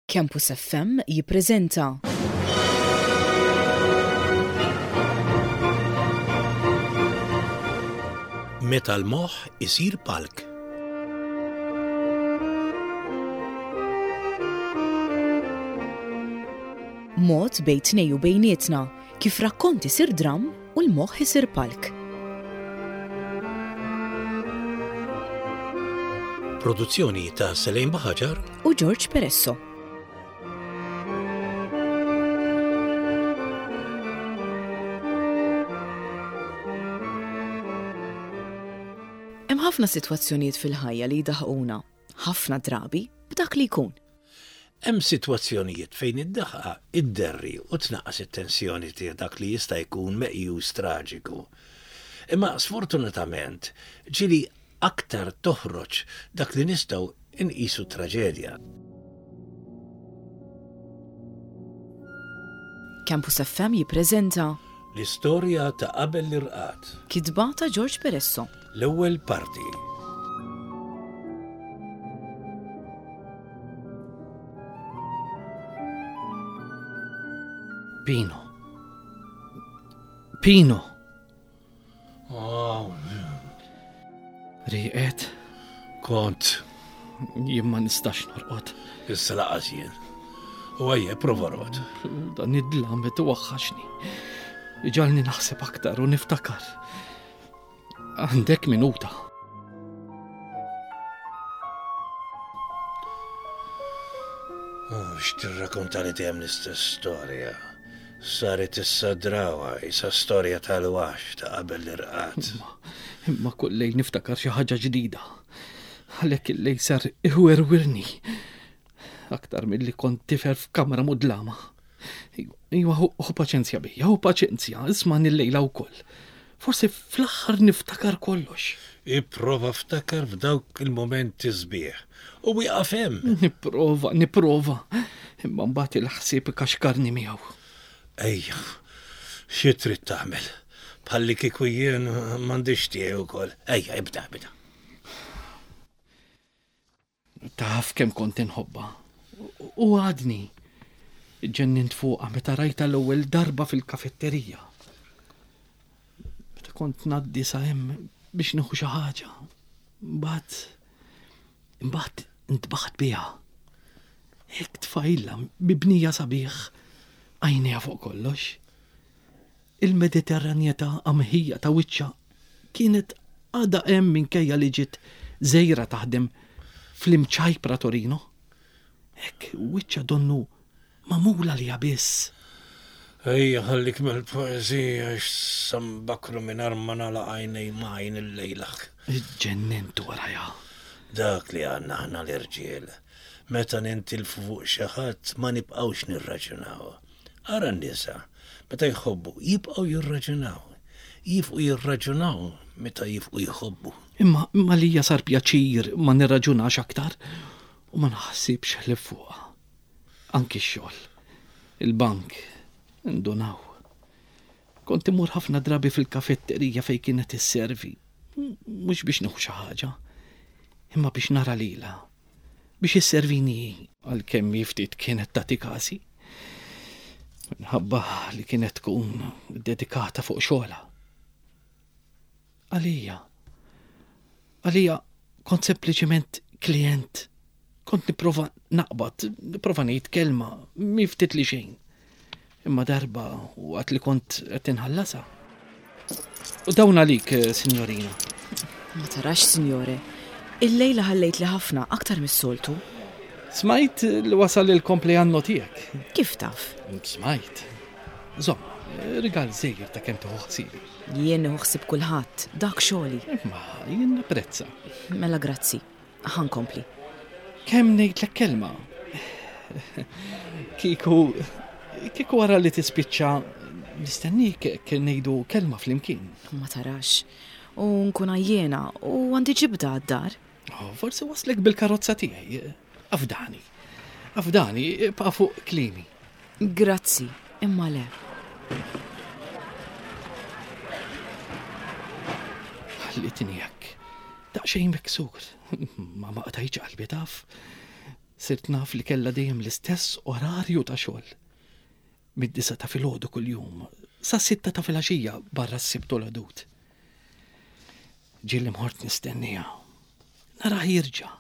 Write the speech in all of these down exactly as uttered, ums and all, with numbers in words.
Campus F M jippreżenta Meta l-moħħ isir palk. Mod bejn tnejn u bejnietna kif rakkont isir dram u l-moħħ isir palk. Produzzjoni ta' Selejn Baħaġar u George Peresso. Hemm ħafna sitwazzjonijiet fil-ħajja li jdaħquna, ħafna drabi b'dak li jkun. Hemm sitwazzjonijiet fejn id-daħqa idderri u tnaqqas it-tensjoni ta' dak li jista' jkun meqjus traġiku. Imma sfortunatament ġieli aktar toħroġ dak li nistgħu inqisu traġedja. Campus F M jippreżenta L-istorja ta' qabel l-irqad. Kitba ta' George Peresso. L-ewwel parti. Pino. Pino. Oh, Rieqed, kont jien ma nistax norqod. Issa lanqas jien. U ejja, prova orqod. Dan id-dlam qed iwaħħaxni. Iġagħalni naħseb aktar u niftakar. Għandek minuta. Oh, x'tirrakonta li dejjem l-istess storja. Saret issa drawa, isa storja tal-wax ta' qabel l-irqad. Imma, imma kull lejl niftakar xi ħaġa ġdida. Għalhekk il-lejl sar iwerwirni. Aktar milli kont tifel f'kamra mudlama. Iwa, ħu paċenzja bija, ħu paċenzja, ismagħni l-lejla wkoll. Forsi fl-aħħar niftakar kollox. Ipprova ftakar f'dawk il-momenti sbieħ. U wieqaf hemm. Nipprova, nipprova. Imma mbagħad il-ħsieb ikaxkarni miegħu. Ejja, xi trid tagħmel? Bħalli kieku jien m'għandix tiegħi wkoll. Ejja, ibda, ibda. Taf kemm kont inħobba. U għadni. Ġennint fuqha meta rajta l-ewwel darba fil-kafetterija. Meta kont ngħaddi sa hemm biex nieħu xi ħaġa. Mbagħad imbagħad intbaħt biha. Hekk tfajla mibnija sabiħ, għajnejha fuq kollox. Il-Mediterranjetà qamħija ta' wiċċha kienet għadha hemm minkejja li ġiet żgħira taħdem fl-imċajpra Torino. Hekk wiċċha donnu magħmula li biss. Ejja, ħallik mill-poezija x'sambakru minn ma nagħlaq għajnej majn il-lejla. Ġennint warajha. Dak li għandna aħna l-irġiel. Meta nintilfu fuq xi ħadd ma nibqgħux nirraġunaw. Ara n-nisa, meta jħobbu, jibqgħu jirraġunaw. Jibqgħu jirraġunaw meta jibqgħu jħobbu. Imma imma lija sar pjaċir ma nirraġunax aktar u ma naħsibx ħlief fuqha. Anki x-xogħol. Il-bank indunaw. Kont imur ħafna drabi fil-kafetterija fej kienet isservi. Mhux biex nieħu xi ħaġa, imma biex nara lilha. Biex isservini għalkemm ftit kienet tagħti kasi. Minħabba li kienet tkun dedikata fuq xogħolha. Għalija. Għalija kont sempliċement klient. Kont nipprova naqbad, nipprova ngħid kelma, mi ftit li xejn. Imma darba waqt li kont qed inħallasha. U dawn għalik, eh, signorina. Ma tarax, signore. Il-lejla ħallejt li ħafna aktar mis-soltu. Smajt li wasal il-kompleanno tiegħek. Kif taf? Smajt. Żomm, rigal żgħir ta' kemm tieħu ħsiebi. Jien nieħu ħsieb kulħadd, dak xogħli. Imma jien napprezza. Mela grazzi. Ħa nkompli. Kemm ngħidlek kelma? Kieku, kieku wara li tispiċċa nistennik kien ngħidu kelma flimkien. Ma tarax. U nkun għajjena u għandi ġibda għad-dar. Oh, forsi nwasslek bil-karozza tiegħi. Afdani. Afdani, ibqa' fuq kliemi. Grazzi, imma le. Ħallitni hekk. Daqsxejn miksur. Ma ma qtajtx qalbi, taf. Sirt naf li kellha dejjem l-istess orarju ta' xogħol. Mid-disa ta' filgħodu kuljum, sa' sitta ta' filgħaxija barra s-Sibt u l-Ħdud. Ġieli mort nistennija. Nara jirġa'.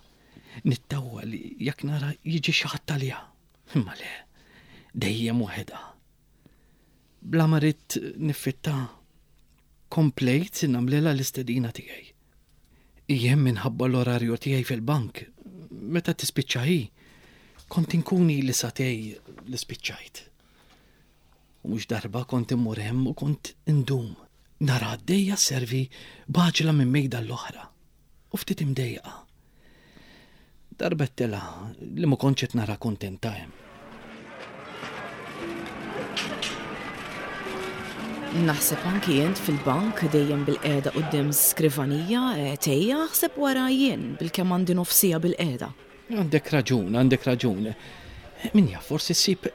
Nittawwa li jekk nara jiġi xi ħadd għaliha. Imma le, dejjem waħedha. Bla ma ridt niffitta, komplejt nagħmlilha l-istedina tiegħi. Jien minħabba l-orarju tiegħi fil-bank, meta tispiċċa hi, kont inkun ili sagħtejn li spiċċajt. U mhux darba kont immur hemm u kont indum. Nara għaddejja sservi b'għaġla minn mejda l-oħra. U ftit imdejqa. Darba għedtilha li ma kontx qed nara kuntenta hemm. Naħseb anki int fil-bank dejjem bil-qiegħda quddiem skrivanija, eh, tejja aħseb wara jien bil-kemm għandi nofsija bil-qiegħda. Għandek raġun, għandek raġun. Min jaf, forsi ssib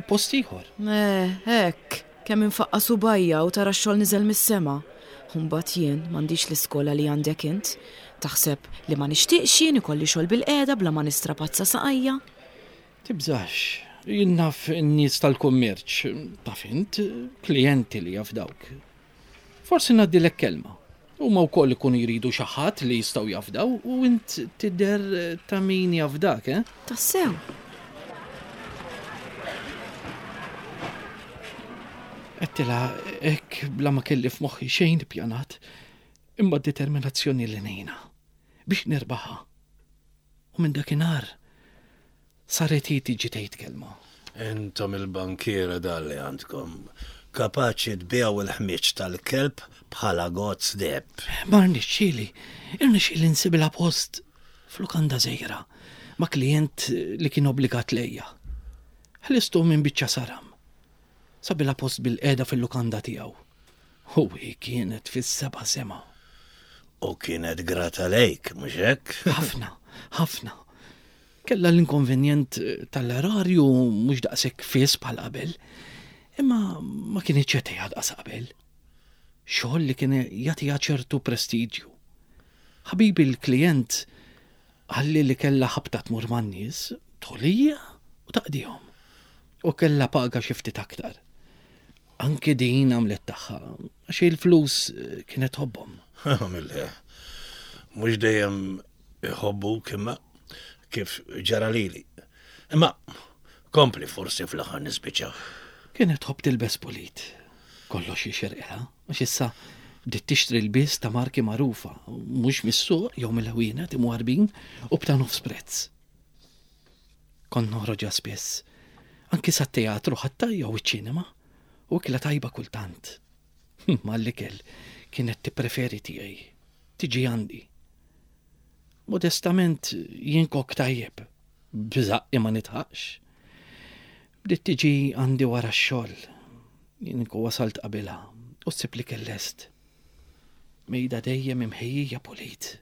post ieħor. Eh, hekk, kemm infaqqa subajja u tara x-xogħol niżel mis-sema. Imbagħad jien m'għandix l-iskola li għandek int. Taħseb li ma nixtieqx jien ikolli xogħol bil-qiegħda bla ma nistrapazza saqajja? Tibżax, jien naf in-nies tal-kummerċ, taf int, klijenti li jafdawk. Forsi ngħaddilek kelma. Huma wkoll ikunu jridu xi ħadd li jistgħu jafdaw u int tidher ta' min jafdak, eh? Tassew. Għedtilha hekk bla ma kelli f'moħħi xejn ippjanat, imma d-determinazzjoni li ngħinha biex nirbaħha. U minn dakinhar saret hi tiġi tgħid kelma. Intom il-bankiera dan li għandkom, kapaċi tbiegħu il-ħmieġ tal-kelb bħala gozz deheb. Ma rnexxieli, irnexxieli nsibilha post f'lukanda żgħira ma' klient li kien obbligat lejja. Ħlistu minn biċċa saram. Sabilha post bil-qiegħda fil-lukanda tiegħu. U hi kienet fis-seba' sema. U kienet grata lejk, mhux hekk? Ħafna, ħafna. Kellha l-inkonvenjent tal-erarju mhux daqshekk fiss bħal qabel, imma ma kienitx qed tgħid daqs qabel. Xogħol li kien jagħtiha ċertu prestiġju. Ħabibi l-klient qalli li kellha ħabta tmur man-nies, tħolija u taqdihom. U kellha paga xi ftit aktar. Anki din għamlet tagħha, għax il-flus kienet tħobbhom. Mille, mhux dejjem iħobbuk imma kif ġara lili. Imma kompli forsi fl-aħħar nispiċċaw. Kienet tħobb tilbes pulit. Kollox jixirqilha, għax issa bdiet tixtri l-bies ta' marki magħrufa, mhux mis-suq jew mill-ħwienet imwarbin u b'ta' nofs prezz. Kont noħroġha spiss, anki sat-teatru ħatta jew iċ-ċinema, u ikla tajba kultant. Ma l-ikel kienet tippreferi tiegħi, tiġi għandi. Modestament jien kok tajjeb, b'żaqqi ma nitħaqx. Bdiet tiġi għandi wara x-xogħol, jien inkun wasalt qabilha u ssib li kellest. Mejda dejjem imħejjija pulit.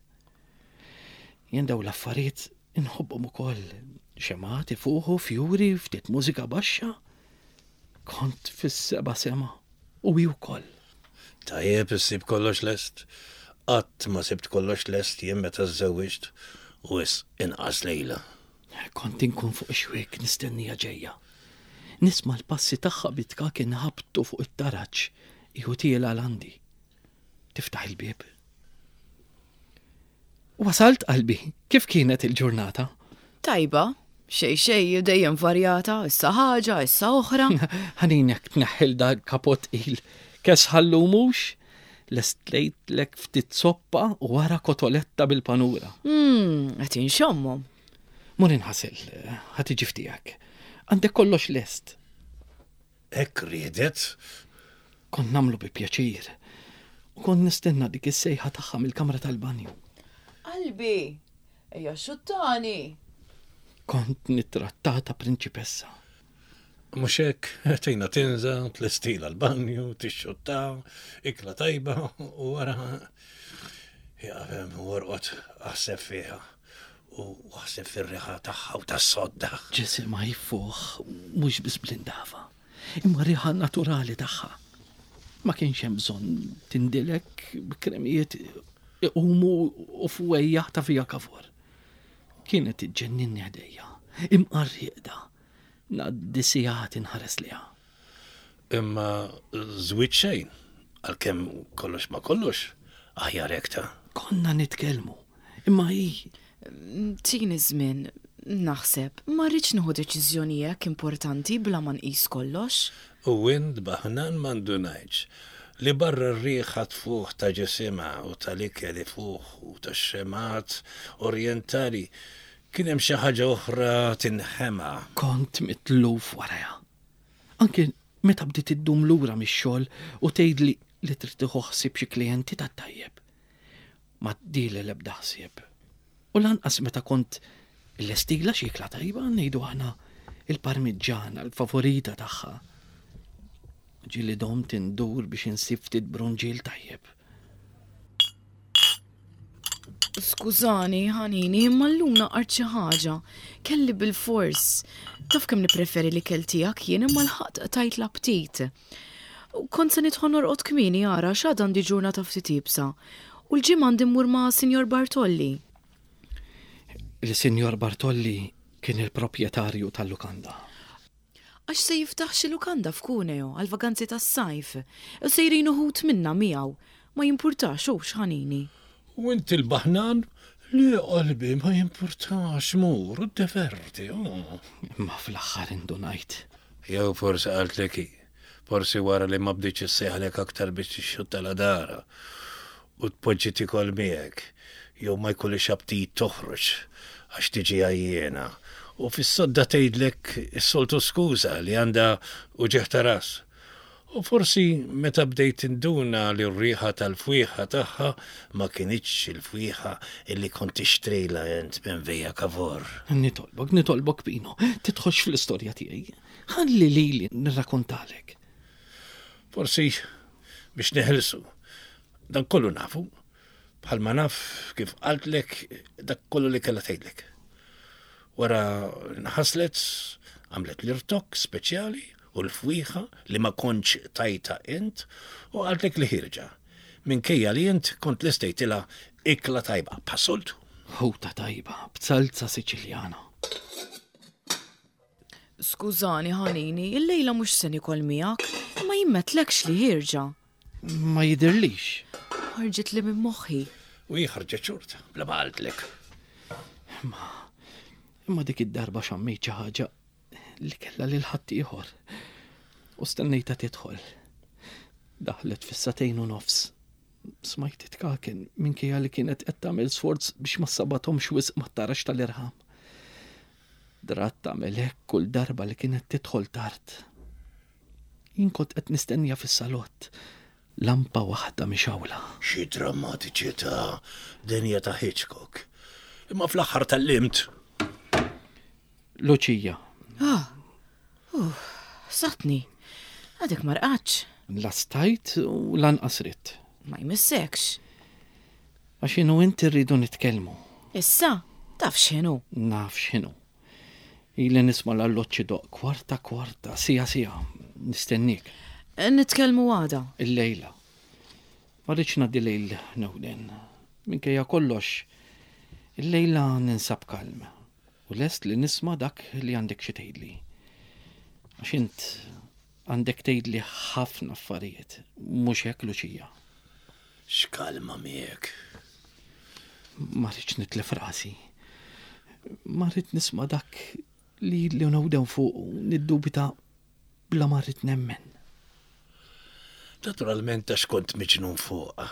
Jien daw l-affarijiet inħobbhom ukoll, xemgħat ifuħu, fjuri, ftit mużika baxxa. Kont fis-seba' sema u hi wkoll. Tajjeb issib kollox lest. Qatt ma sibt kollox lest jien meta żżewwiġt u wis inqas lejla. Kont inkun fuq ix-xwiek nistennija ġejja. Nisma' l-passi tagħha bitka kien ħabtu fuq it-taraġ iħu tiela l-għandi. Tiftaħ il-bieb. Wasalt qalbi, kif kienet il-ġurnata? Tajba, xej xej dejjem varjata, issa ħaġa, issa oħra. Ħaninek tneħħil da kapot il. Kesħallu mhux? Lestlejtlek ftit soppa u wara kotoletta bil-panura. Mm, qed inxommhom. Mur inħasel, ħa tiġi ftijak. Għandek kollox lest. Hekk riedet? Kont nagħmlu bi pjaċir. U kont nistenna dik is-sejħa tagħha mill-kamra tal-banju. Qalbi, ejja xuttani. Kont nittrattata prinċipessa. Mhux hekk, tgħinha tinża, tlestila l-banju, tixxotta, ikla tajba u wara jaqfem u orqod aħseb fiha u aħseb fir-riħa tagħha u tas-sodda. Ġisimha jfuħ mhux biss bl-indafa, imma riħa naturali tagħha. Ma kienx hemm bżonn tindilek b'kremijiet iqumu u fwejjaħ ta' fija kavur. Kienet iġġenninni ħdejja. Imqar rieqda. Ngħaddi sigħat inħares lejha. Imma żwiġ xejn, għalkemm kollox ma kollox, aħjar hekk ta'. Konna nitkellmu, imma hi Tini żmien, naħseb, ma rridx nieħu deċiżjoni hekk importanti bla ma nqis kollox. U int baħnan ma ndunajtx li barra r-riħa tfuħ ta' ġisimha u tal-ikel ifuħ u tax-xemgħat orjentali kien hemm xi ħaġa oħra tinħema. Kont mitluf warajha. Anke meta bdiet iddum lura mix-xogħol u tgħidli li trid tieħu ħsieb xi klijenti tat-tajjeb. Ma tdili l-ebda ħsieb. U lanqas meta kont illestilha xi ikla tajba ngħidu aħna il-parmiġġana, l-favorita tagħha. Ġieli domt indur biex insib ftit brunġiel tajjeb. Skużani, ħanini, imma llum naqart xi ħaġa. Kelli bil-fors. Taf kemm nippreferi l-ikel tiegħek jien imma lħaqt qtajt l-aptit. U kont se nidħol norqod kmieni ara x'għad għandi ġurnata ftit iebsa. U l-ġimgħa għandi mmur ma' Sinjor Bartolli. Il-Sinjor Bartolli kien il-proprjetarju tal-lukanda. Għax se jiftaħ xi lukanda f'Cuneo għal vaganzi tas-sajf. U sejrin uħud minna miegħu. Ma jimpurtax hux ħanini. U inti l-baħnan li qalbi ma jimpurtax mur u diverti. Oh. Imma fl-aħħar indunajt. Jew forsi qaltlek hi, forsi wara li ma bdietx issejħlek aktar biex tixxutta la dara u tpoġġi tikol miegħek, jew ma jkollix aptit toħroġ għax tiġi għajjiena. U fis-sodda tgħidlek is-soltu skuża li għandha uġigħ ta' ras. U forsi meta bdejt tinduna li r-riħa tal-fwieħa tagħha ma kinitx il-fwieħa illi kont tixtrilha int minn Via Cavour. Nitolbok, nitolbok Pino, tidħolx fl-istorja tiegħi. Ħalli lili nirrakkontalek. Forsi biex neħilsu. Dan kollu nafu, bħalma naf kif qaltlek dak kollu li kellha tgħidlek. Wara nħaslet, għamlet l-irtokk speċjali u l-fwieħa li ma kontx tajta int u qaltlek li ħierġa. Minkejja li int kont lestejtilha ikla tajba, bħas-soltu. Ħuta tajba, b'salza Siċiljana. Skużani, ħanini, illejla mhux se nikol miegħek, imma jien m'għedtlekx li ħierġa. Ma jidirlix. Ħarġet li minn moħħi. U hi ħarġet xorta, bla ma qaltlek. Imma imma dik id-darba xammejt xi ħaġa li kellha lil ħaddieħor. U stennejta tidħol. Daħlet fis-sagħtejn u nofs. Smajt titkaken minkejja li kienet qed tagħmel sforz biex ma sabathomx wisq mat-tarax tal-irħam. Drat tagħmel hekk kull darba li kienet tidħol tard. Jien kont qed nistennija fis-salott. Lampa waħda mixgħula. Xi drammatiċità dinja ta' Hitchcock. Imma fl-aħħar tallimt. Luċija. Ah, uh, satni. Għadek ma rqadx. La stajt u lanqas ridt. Ma jmissekx. Għax jien u inti rridu nitkellmu. Issa, taf x'inhu. Naf x'inhu. Ili nisma' l-alloġġ idoqq kwarta kwarta, siegħa siegħa, nistennik. Nitkellmu għada. Illejla. Ma rridx ngħaddi lejl newden. Minkejja kollox, illejla ninsab kalm. U lest li nisma' dak li għandek xi tgħidli. Għax int għandek tgħidli ħafna affarijiet, mhux hekk Luċija. X'kalma miegħek. Ma rridx nitlef rasi. Ma rrid nisma' dak li li newden fuq u niddubita bla ma rrid nemmen. Naturalment għax kont miġnun fuqha.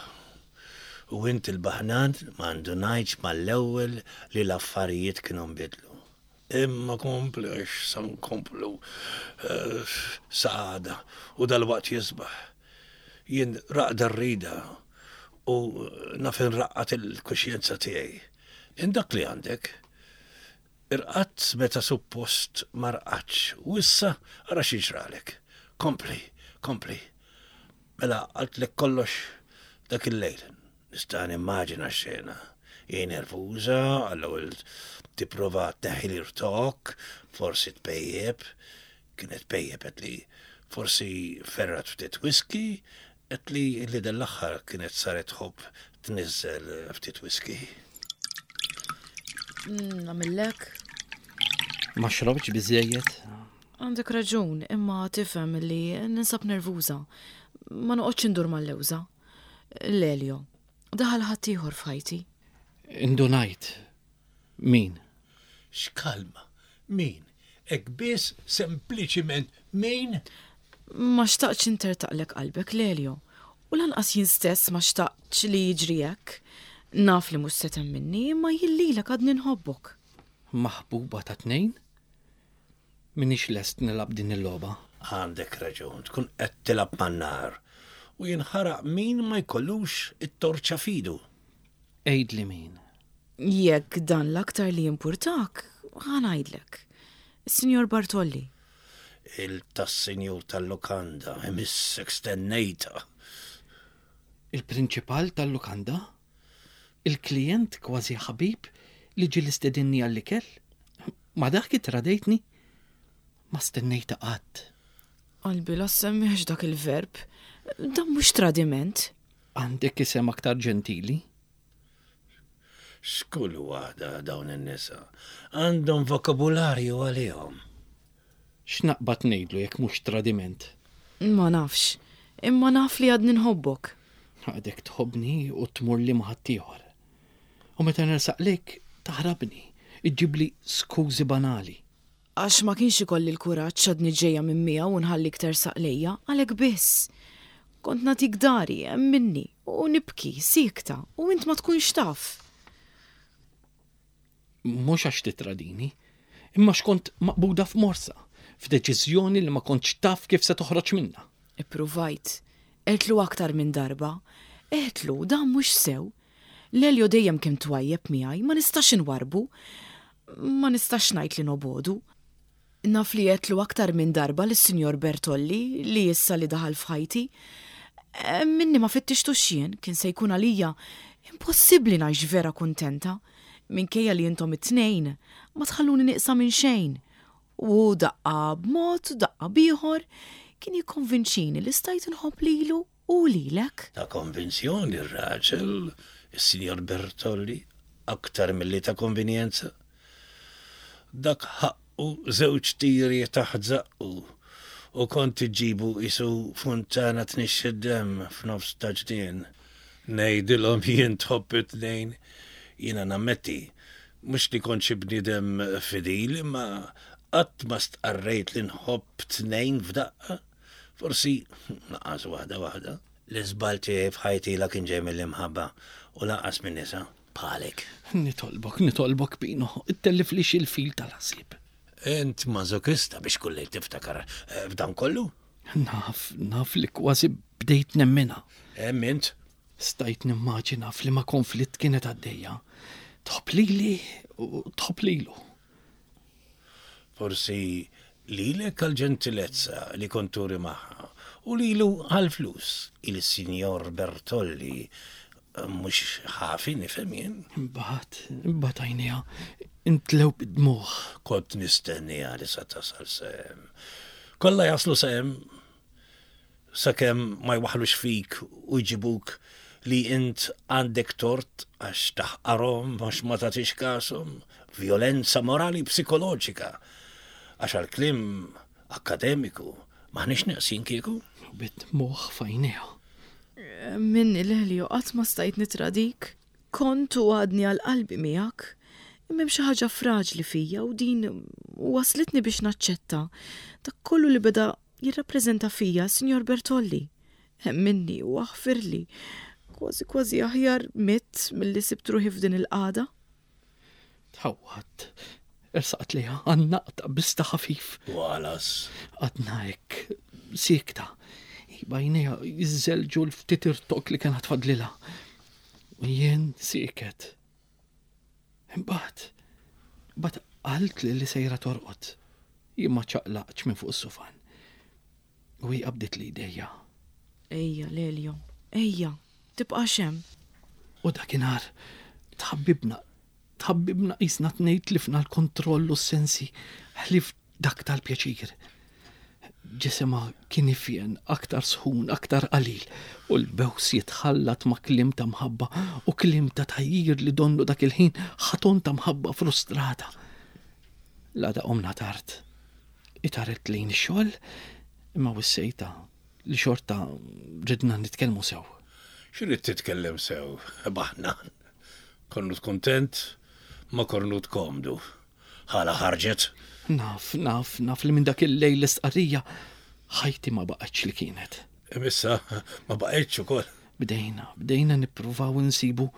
U int il-baħnan ma ndunajtx mal-ewwel li l-affarijiet kienu nbidlu. Imma kompli għax sa nkomplu eh, sa għada u dal-waqt jisbaħ. Jien raqda rrida u naf inraqqad il-kuxjenza tiegħi. Indak li għandek, irqadt meta suppost ma rqadx u issa ara x'jiġralek. Kompli, kompli. Mela qaltlek kollox dak il-lejl. Nista' nimmaġina x-xena. Hi nervuża, għall-ewwel tipprova tneħħi l-irtokk, forsi tpejjep, kienet pejjep qed li forsi ferrat ftit whisky, qed li li dal-aħħar kienet saret tħobb tniżżel ftit whisky. Nagħmillek. Ma xrobtx biżejjed. Għandek raġun, imma tifhem li ninsab nervuża. Ma noqgħodx indur mal-lewża. Lelio, daħal ħaddieħor f'ħajti. Indunajt. Min? X'kalma, min? Hekk biss sempliċiment min? Ma xtaqtx intertaqlek qalbek, Lelio. U lanqas jien stess ma xtaqtx li jiġri hekk. Naf li mhux se temminni, imma jien lilek għadni nħobbok. Maħbuba ta' tnejn? Minix lest nilgħab din il-logħba. Għandek raġun, tkun qed tilgħab man-nar u jinħaraq min ma jkollux it-torċa f'idu. Għidli min. Jekk dan l-aktar li jimpurtak, ħa ngħidlek. Is-Sinjor Bartolli. Il tas-sinjur tal-lukanda, imissek stennejta. Il-prinċipal tal-lukanda? Il-klient kważi ħabib li ġie stedinni għall-ikel? Ma dak tradejtni? Ma stennejta qatt. Qalbi la semmiex dak il-verb. Dan mhux tradiment. Għandek isem aktar ġentili? X'kull waħda dawn in-nisa għandhom vokabularju għalihom. X'naqbad ngħidlu jekk mhux tradiment? Ma nafx, imma naf li għadni nħobbok. Għadek tħobbni u tmur li ma' ħaddieħor. U meta nersaq lejk taħrabni, iġġibli skużi banali. Għax ma kienx ikolli l-kuraġġ għadni ġejja minn miegħu u nħallik tersaq lejja, għalhekk biss. Kont nagħtik dari, minni, u nibki, siekta, u int ma tkunx taf. Mhux għax titradini, imma x'kont maqbuda f'morsa, f'deċiżjoni li ma kontx taf kif se toħroġ minnha. Ippruvajt, għedtlu aktar minn darba, għedtlu dan mhux sew. Lelio dejjem kien twajjeb miegħi, ma nistax inwarbu, ma nistax ngħid li nobogħdu. Naf li għedtlu aktar minn darba lis-Sinjor Bertolli li issa li daħal f'ħajti. Minni ma fittixtux jien, kien se jkun għalija impossibbli ngħix vera kuntenta. Minkejja li intom it-tnejn ma tħalluni nieqsa minn xejn. U daqqa b'mod, daqqa b'ieħor, kien jikkonvinċini li stajt nħobb lilu u lilek. Ta' konvinzjoni r-raġel, is-Sinjor Bertolli, aktar milli ta' konvenjenza. Dak ħaqqu żewġ tiri taħt żaqqu u kont iġibu isu funtana tnixxi d-demm f'nofs ta' ġnien. Ngħidilhom jien tħobb it-tnejn, jiena nammetti, mhux li kont xi bniedem fidil, imma qatt ma stqarrejt li nħobb tnejn f'daqqa. Forsi naqas waħda waħda. L-iżball tiegħi f'ħajti la kien ġej mill-imħabba u lanqas minn nisa bħalek. Nitolbok, nitolbok Pino, ittelliflix il-fil tal-ħsieb. Int mażokista biex kullej tiftakar eh, f'dan kollu? Naf, naf li kważi bdejt nemmina. Hemm int? Stajt nimmaġina f'liema konflitt kienet għaddejja. Tħobb lili u tħobb lilu. Forsi lilek għal-ġentilezza li kont turi magħha u lilu għal-flus il-Sinjor Bertolli eh, mhux ħafi nifhem jien. Imbagħad, imbagħad għajnejha intlew bid-dmugħ. Kont nistenniha li sa tasal s'hemm. Kollha jaslu s'hemm sakemm ma jwaħħlux fik u jġibuk li int għandek tort għax taħqarhom għax ma tagħtix kashom, violenza morali psikoloġika. Għax għal-kliem akademiku maħniex neqsin kieku. U bid-dmugħ f'għajnejha. Minni Lelio qatt ma stajt nitradik. Kont u għadni għal qalbi miegħek. Imma hemm xi ħaġa fraġli fija u din waslitni biex naċċetta dak kollu li beda jirrappreżenta fija Sinjor Bertolli. Minni u aħfirli. Kważi kważi aħjar mitt milli sibt ruħi f'din il-qagħda. Tħawwadt. Ersaqt lejha għannaqtha bista ħafif. Walas. Għadna hekk, siekta. B'għajnejha jiżżelġu l-ftit irtokk li kien fadlilha. U jien sieket. Imbagħad, imbagħad qaltli li sejra torqod. Jien ma ċaqlaqtx minn fuq is-sufan. U hi qabditli idejja. Ejja, Lelio, ejja, tibqax hemm. U dakinhar tħabbibna, tħabbibna qisna tnejn tlifna l-kontroll u s-sensi ħlief dak tal-pjaċir. Ġisimha kien ifjen aktar sħun, aktar qalil, u l-bews jitħallat ma' kliem ta' mħabba u kliem ta' tgħajjir li donnu dak il-ħin ħaton ta' mħabba frustrata. L-għada qomna tard. Itaret lejn ix-xogħol imma wissejta li xorta ridna nitkellmu sew. X'rid titkellem sew, baħnan. Kornut kontent, ma kornut komdu. Ħala ħarġet. Naf, naf, naf li minn dak il-lejl l-istqarrija ħajti ma baqgħetx li kienet. Imissa ma baqgħetx ukoll. Bdejna, bdejna nippruvaw insibu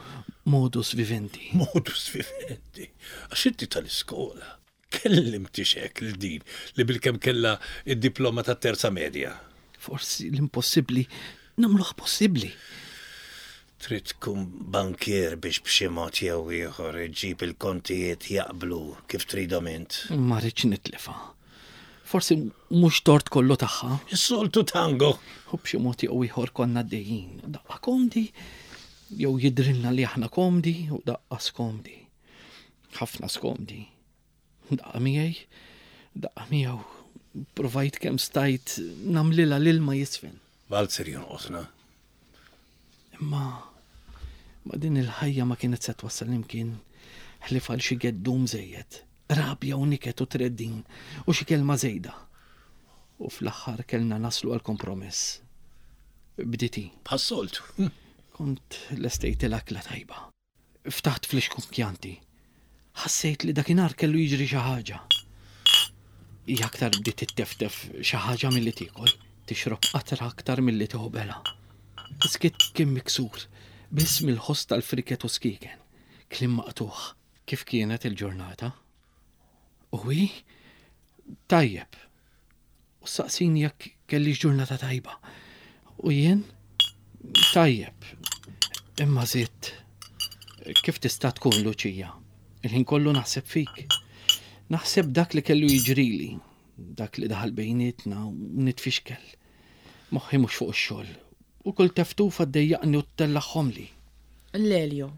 modus vivendi. Modus vivendi. Għax inti tal-iskola. Kellimti xek lil din li bilkemm kella id-diploma ta' terza medja. Forsi l-impossibbli nagħmluh possibbli. Trid tkun bankier biex b'xi mod jew ieħor iġġib il-kontijiet jaqblu kif tridhom int. Ma rridx nitlifa. Forsi mhux tort kollu tagħha. Is-soltu tango. U b'xi mod jew ieħor konna għaddejjin. Daqqa komdi, jew jidrilna li aħna komdi u daqqa skomdi. Ħafna skomdi. Daqqa miegħi, daqqa miegħu. Provajt kemm stajt nagħmlilha l-ilma jisfen. Valzer jonqosna. Imma ma din il-ħajja ma kienet se twassal imkien ħlief għal xi geddum żejjed, rabja u niket u treddin u xi kelma żejda. U fl-aħħar kellna naslu għal kompromess. Bditi, Bħas-soltu. kont lestejt l-akla tajba. Ftaħt flixkun kjanti. Ħassejt li dakinhar kellu jiġri xi ħaġa. Hija aktar bdiet titteftef xi ħaġa milli tiekol, tixrob qatra aktar milli tieħu bela. Iskiet kien miksur, biss mill-ħoss tal-friket u skiken. Kliem maqtuħ, kif kienet il-ġurnata? U hi? Tajjeb. U saqsini jekk kellix ġurnata tajba. U jien? Tajjeb. Imma zitt, kif tista' tkun Luċija? Il-ħin kollu naħseb fik. Naħseb dak li kellu jiġrili, dak li daħal bejnietna u nitfixkel. Moħħi mhux fuq ix-xogħol. U kull teftufa ddejjaqni u ttellaħħomli. Lelio,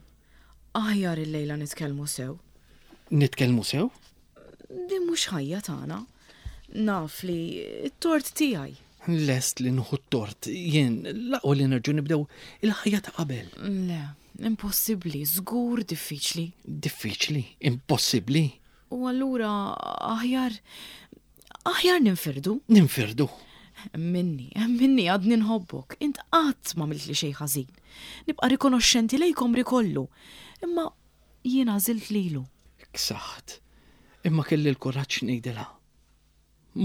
aħjar il-lejla nitkellmu sew. Nitkellmu sew? Din mhux ħajja tagħna. Naf li t-tort tiegħi. Lest li nħu t-tort, jien laqwa li nerġu nibdew il-ħajja ta' qabel. Le, impossibbli, żgur diffiċli. Diffiċli, impossibbli. U allura aħjar aħjar ninfirdu. Ninfirdu. Minni, minni għadni nħobbok. Int qatt ma għamilt li xejn ħażin. Nibqa' rikonoxxenti lejkom rikollu. Imma jien għażilt lilu. Ksaħt. Imma kelli l-kuraġġ ngħidilha.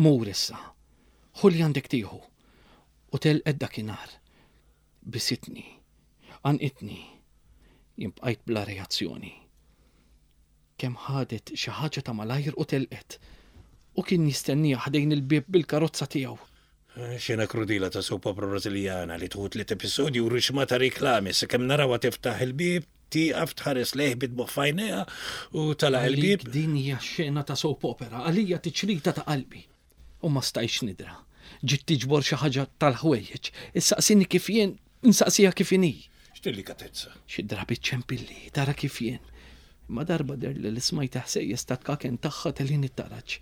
Mur issa. Ħu li għandek tieħu. U telqet dakinhar. Bisitni. Għanqitni. Jien bqajt bla reazzjoni. Kemm ħadet xi ħaġa ta' malajr u telqet. U kien jistennija ħdejn il-bieb bil-karozza tiegħu. Xena krudila ta' soap opera Brażiljana li tħut li episodju u rixma ta' reklami sakemm narawha tiftaħ il-bieb, tieqaf tħares lejh bid-dmugħ f'għajnejha u tagħlaq il-bieb. Għalik din hija xena ta' soap opera, għalija tiċrita ta' qalbi. U ma stajtx nidra. Ġiet tiġbor xi ħaġa tal-ħwejjeġ. Issaqsini kif jien, insaqsiha kif inhi. X'delikatezza. Xi drabi ċempilli, tara kif jien. Ma darba der li l-ismajt ħsejjes ta' tkaken tagħha telin it-taraġ.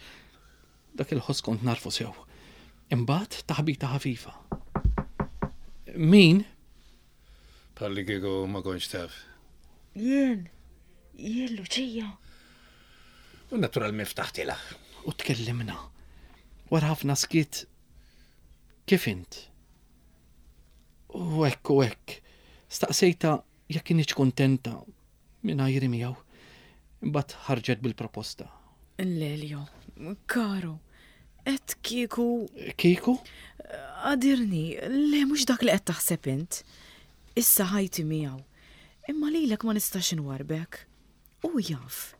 Dak il-ħoss kont narfu sew. Imbagħad taħbita ħafifa. Min? Palli kieku ma kontx taf. Jien, jien Luċija. U naturalment ftaħtilha. U tkellimna. Wara ħafna skiet. Kif int? U hekk u hekk. Staqsejta jekk kinitx kuntenta mingħajri miegħu. Imbagħad ħarġet bil-proposta. Lelio, karo, et kieku Kieku? għadirni, le mhux dak li qed taħseb int. Issa ħajti miegħu. Imma lilek ma nistax inwarbek. U jaf,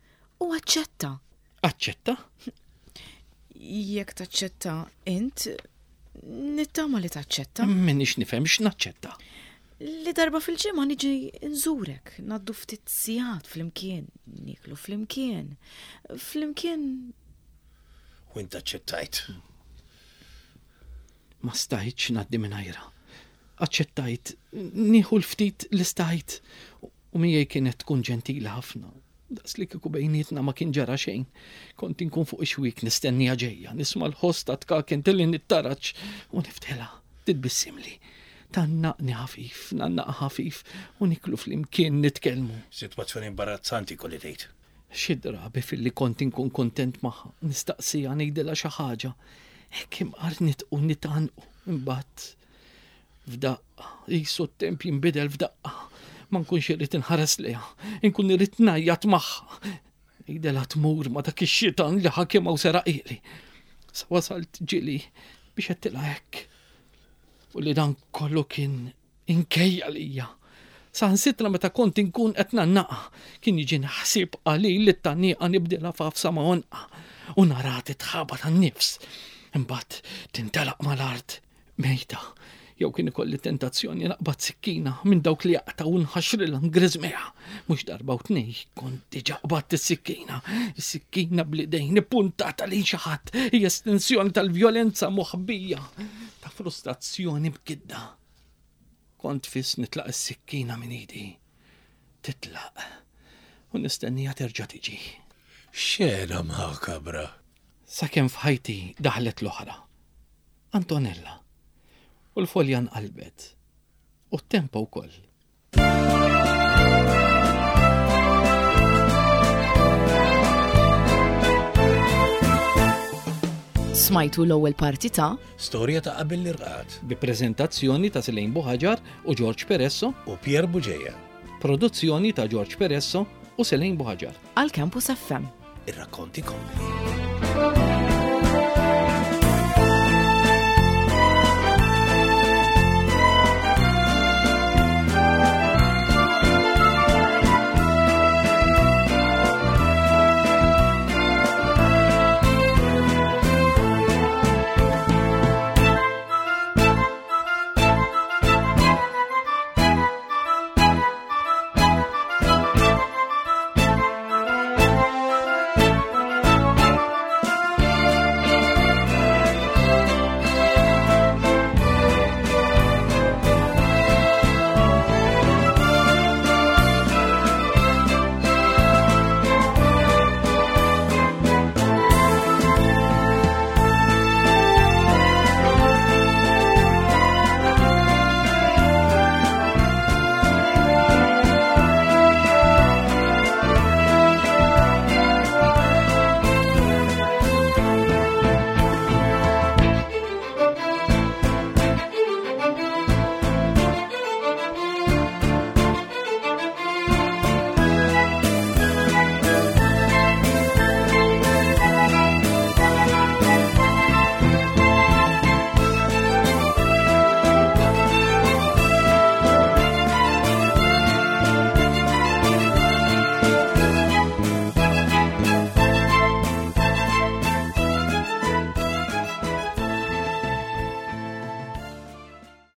u aċċetta. Aċċetta? Jekk taċċetta int, nittama li taċċetta. Minix nifhem x'naċċetta. Li darba fil-ġimgħa niġi nżurek, ngħaddu ftit sigħat flimkien, niklu flimkien, flimkien U int aċċettajt. Ma stajtx ngħaddi mingħajrha. Aċċettajt, nieħu l-ftit li stajt. U miegħi kienet tkun ġentili ħafna. Daqs li kieku bejnietna ma kien ġara xejn. Kont inkun fuq ix-xwiek nistennija ġejja, nisma' l-ħoss ta' tkaken tilli nittaraġ u niftħilha, titbissimli. Tgħannaqni ħafif, ngħannaqha ħafif u niklu flimkien nitkellmu. Sitwazzjoni imbarazzanti kolli tgħid. Xi drabi filli kont inkun kontent magħha, nistaqsija ngħidilha xi ħaġa. Hekk imqar nitqu nitgħannqu imbagħad f'daqqa, qisu t-temp jinbidel f'daqqa. Ma nkunx irrid inħares lejha, inkun irrid ngħajjat magħha. Ngħidilha tmur ma' dak ix-xitan li ħakimha u seraqili. Sa wasalt ġieli biex għedtilha hekk. U li dan kollu kien inkejja lija. Saħansitra meta kont inkun qed ngħannaqha, kien jiġini ħsieb qalil li t-tgħanniqa nibdilha f'għafsa ma' għonqha u naraha titħabat għan-nifs. Imbagħad tintelaq mal-art mejta. Jew kien ikolli tentazzjoni naqbad sikkina minn dawk li jaqtgħu u nħaxrilha ngriżmiha. Mhux darba u tnej kont diġà qbadt is-sikkina. Is-sikkina bl-idejn ippuntata lejn xi ħadd hija estensjoni tal-vjolenza moħbija, ta' frustrazzjoni mkidda. Kont fiss nitlaq is-sikkina minn idi. Titlaq. U nistennija terġa' tiġi. Xena makabra. Sakemm f'ħajti daħlet l-oħra. Antonella. U l-folja nqalbet. U t-tempo wkoll. Smajtu l-ewwel parti ta' Storja ta' qabel l-irqad. Bi preżentazzjoni ta' Selene Buhaġar u George Peresso. U Pier Bugeja. Produzzjoni ta' George Peresso u Selene Buhaġar. Għal Campus F M. Ir-rakkonti kompli.